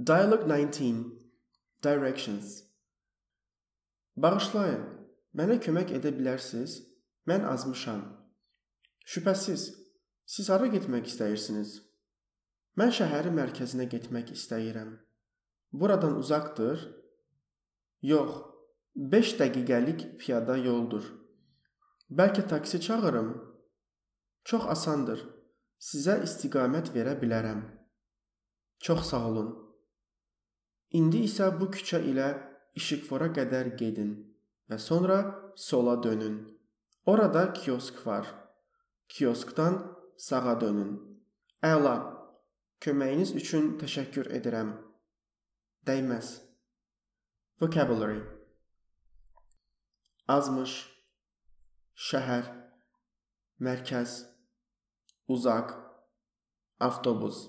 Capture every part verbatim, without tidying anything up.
Dialogue nineteen. Directions. Bağışlayın, mənə kömək edə bilərsiniz? Mən azmışam. Şübhəsiz, siz hara getmək istəyirsiniz? Mən şəhərin mərkəzinə getmək istəyirəm. Buradan uzaqdır? Yox, beş dəqiqəlik piyada yoldur. Bəlkə taksi çağırım? Çox asandır. Sizə istiqamət verə bilərəm. Çox sağ olun. İndi isə bu küçə ilə İşıqfora qədər gedin və sonra sola dönün. Orada kiosk var. Kioskdan sağa dönün. Əla. Köməyiniz üçün təşəkkür edirəm. Dəyməz. Vocabulary. Azmış, şəhər, mərkəz, uzaq, avtobus,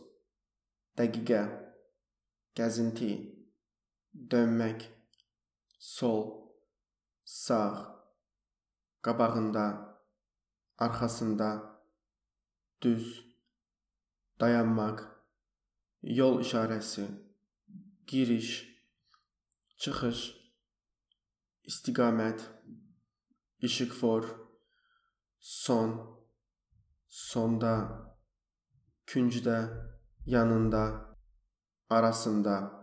dəqiqə, gəzinti, dönmək, sol, sağ, qabağında, arxasında, düz, dayanmaq, yol işarəsi, giriş, çıxış, istiqamət, işıqfor, son, sonda, küncdə, yanında, arasında.